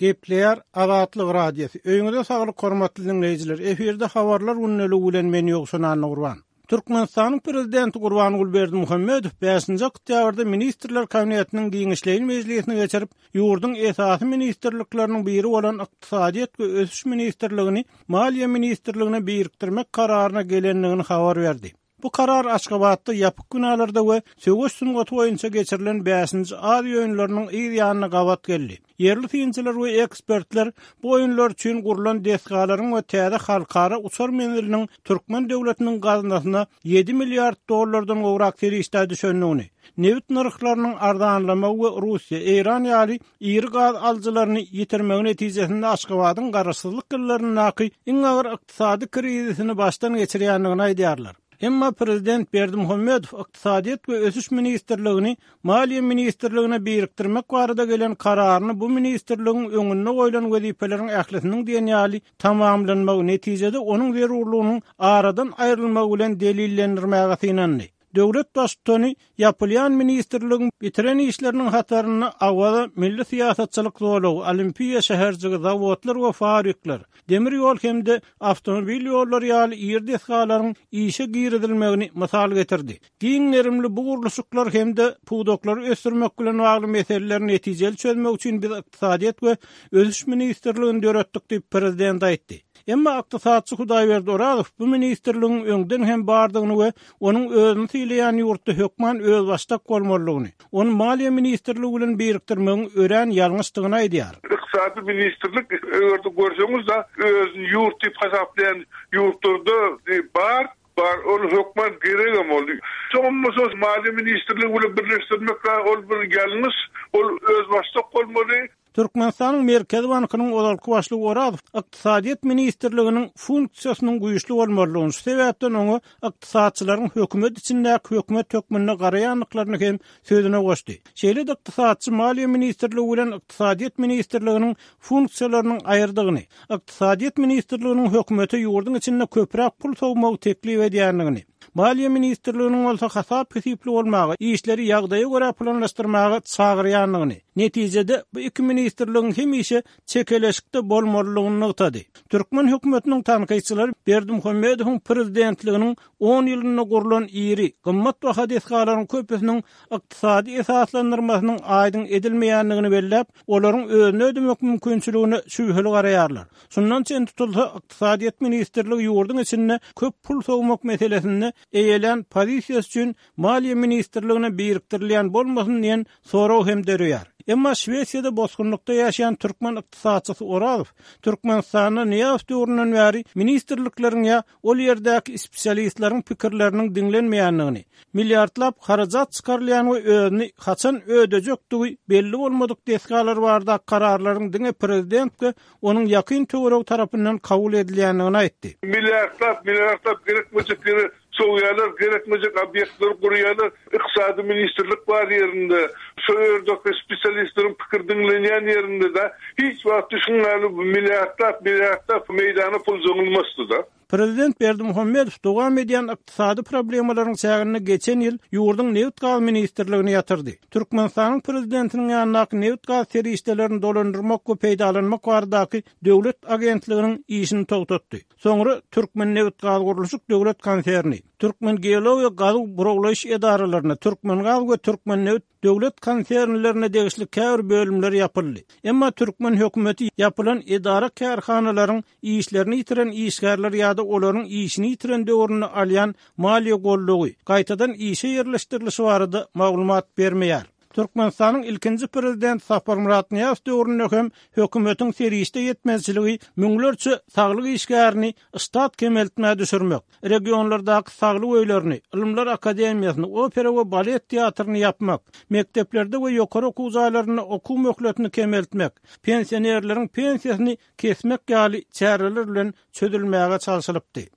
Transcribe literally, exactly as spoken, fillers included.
Gepleýär Azatlyk Radiosy. Öýüňize saglyk hormatly diňleýjiler. Efirde habarlar gündeligi bilen men Ýowşan Annagurban. Türkmenistanyň prezidenti Gurbanguly Berdimuhamedow bäşinji oktýabrda Ministrler Kabinetiniň giňişleýin mejlisini geçirip, ýurduň esasy ministrlikleriniň biri bolan Ykdysadyýet we ösüş ministrligini Maliýe ministrligine birikdirmek kararyna gelendigini habar berdi. Bu karar Aşgabatda ýapyk binalarda we söweş sungaty boýunça geçirilen bäşinji Aziýa oýunlarynyň yz ýanyna gabat geldi. Ýerli synçylar we ekspertler bu oýunlar üçin gurlan desgalaryň we täze halkara uçar menziliniň türkmen döwletiniň gaznasyna ýedi milliard dollardan gowrak serişdä düşendigini, nebit nyrhlarynyň arzanlamagy we Russiýa, Eýran ýaly iri gaz alyjylaryny ýitirmegi netijesinde Aşgabadyň garaşsyzlyk ýyllaryndaky iň agyr ykdysady krizisini başdan geçirýändigini aýdýarlar. Emma prezident Berdimuhamedow Ykdysadyýet we ösüş ministrligini Maliýe ministrligine birikdirmek barada gelen kararyny bu ministrligiň öňünde goýlan wezipeleriň ählisiniň diýen ýaly tamamlanmagy, netijede onuň zerurlygynyň aradan aýrylmagy bilen delillendirmäge synandy. Döwlet Baştutany ýapylýan ministrligiň bitiren işleriniň hatarynda Awaza milli syýasatçylyk zolagy, Olimpiýa şäherjigi, zawodlar we fabrikler, demir ýol hem-de awtomobil ýollary ýaly iri desgalaryň işe girizilmegini mysal getirdi. Giň gerimli bu gurluşyklar hem-de pudaklary ösdürmek bilen bagly meseleleri netijeli çözmek üçin biz Ykdysadyýet we ösüş ministrligini döretdik diýip, prezident aýtdy. Emma ykdysatçy Hudaýberdi Orazow bu ministrligiň öňden hem bardygyny we onuň özüni sylaýan ýurtda hökman özbaşdak bolmalydygyny, ony Maliýe ministrligi bilen birikdirmegiň örän ýalňyşdygyny aýdýar. Ykdysady ministrlik, eger-de görseňiz-de, özüni ýurt diýip hasaplaýan ýurtlarda bar, bar, ol hökman geregem ol. Soňam bolsa Maliýe ministrligi bilen birleşdirmek ol bir ýalňyş, ol özbaşdak bolmaly. Türkmenistanyň Merkezi bankynyň ozalky başlygy Orazow Ykdysadyýet ministrliginiň funksiýasynyň güýçli bolmalydygyny, şu sebäpden oňa ykdysatçylaryň hökümet içindäki hökümet hökmünde garaýandyklaryny hem sözüne goşdy. Şeýle-de ykdysatçy Maliýe ministrligi bilen Ykdysadyýet ministrliginiň funksiýalarynyň aýyrdygyny, Ykdysadyýet ministrliginiň hökümete ýurduň içinde köpräk pul sowmagy teklip edýändigini, Maliýe ministrliginiň bolsa hasap-hesipli bolmaga, işleri ýagdaýa görä planlaşdyrmaga çagyrýandygyny, netijede bu iki ministrligiň hemişe çekeleşikde bolmalydygyny nygtady. Türkmen hökümetiniň tankytçylary Berdimuhamedowyň prezidentliginiň on ýylynda gurlan iri, gymmatbaha desgalaryň köpüsiniň ykdysady esaslandyrmasynyň aýdyň edilmeýändigini belläp, olaryň özüni ödemek mümkinçiligine şübheli garaýarlar. Şundan çen tutulsa, Ykdysadyýet ministrligi ýurduň içinde köp pul sowmak meselesinde eýelän pozisiýasy üçin Maliýe ministrligine birikdirilýän bolmasyn diýen sorag hem döreýär. Emma Şwesiýada bosgunlykda ýaşaýan türkmen ykdysatçysy Orazow Türkmenistanda Nyýazow döwründen bäri ministrlikleriň ýa ol ýerdäki spesialistleriň pikirleriniň diňlenmeýändigini, milliardlap harajat çykarylýan we özüni haçan ödejekdigi belli bolmadyk desgalar baradaky kararlaryň diňe prezident we onuň ýakyn töweregi tarapyndan kabul edilýändigini aýtdy. Milliardlap, milliardlap gerekmejek ýere sowýarlar, gerekmejek obýektleri gurýarlar. Ykdysady ministrlik bar ýerinde, şo ýerdäki spesialistleriň pikiri diňlenýän ýerinde-de hiç wagt düşünmäli milliardlap, milliardlap meýdana pul zyňylmasdy-da. Prezident Berdimuhamedow dowam edýän ykdysady problemalaryň çäginde geçen ýyl ýurduň Nebit-gaz ministrligini ýatyrdy. Türkmenistanyň prezidentiniň ýanyndaky nebit-gaz serişdelerini dolandyrmak we peýdalanmak baradaky döwlet agentliginiň işini togtatdy. Soňra Türkmennebitgazgurluşyk döwlet konserni, Türkmengeologiýa gazuw burawlaýyş edaralaryna, Türkmengaz we Türkmennebit döwlet konsernlerine degişli käbir bölümler ýapyldy. Emma türkmen hökümeti ýapylan edara-kärhanalaryň işlerini ýitiren işgärler ýa-da olaryň işini ýitiren döwründe alýan maliýe goldawy, gaýtadan işe ýerleşdirilişi barada maglumat bermeýär. Türkmenistanyň ilkinji prezidenti Saparmyrat Nyýazow döwründe hem hökümetiň serişde ýetmezçiligi müňlerçe saglyk işgärini ştat kemeltmä düşürmek, regionlardaky saglyk öýlerini, Ylymlar akademiýasyny, opera we balet teatryny ýapmak, mekdeplerde we ýokary okuw jaýlarynda okuw möhletini kemeltmek, pensionerleriň pensiýasyny kesmek ýaly çäreler bilen çözülmäge çalşylypdy.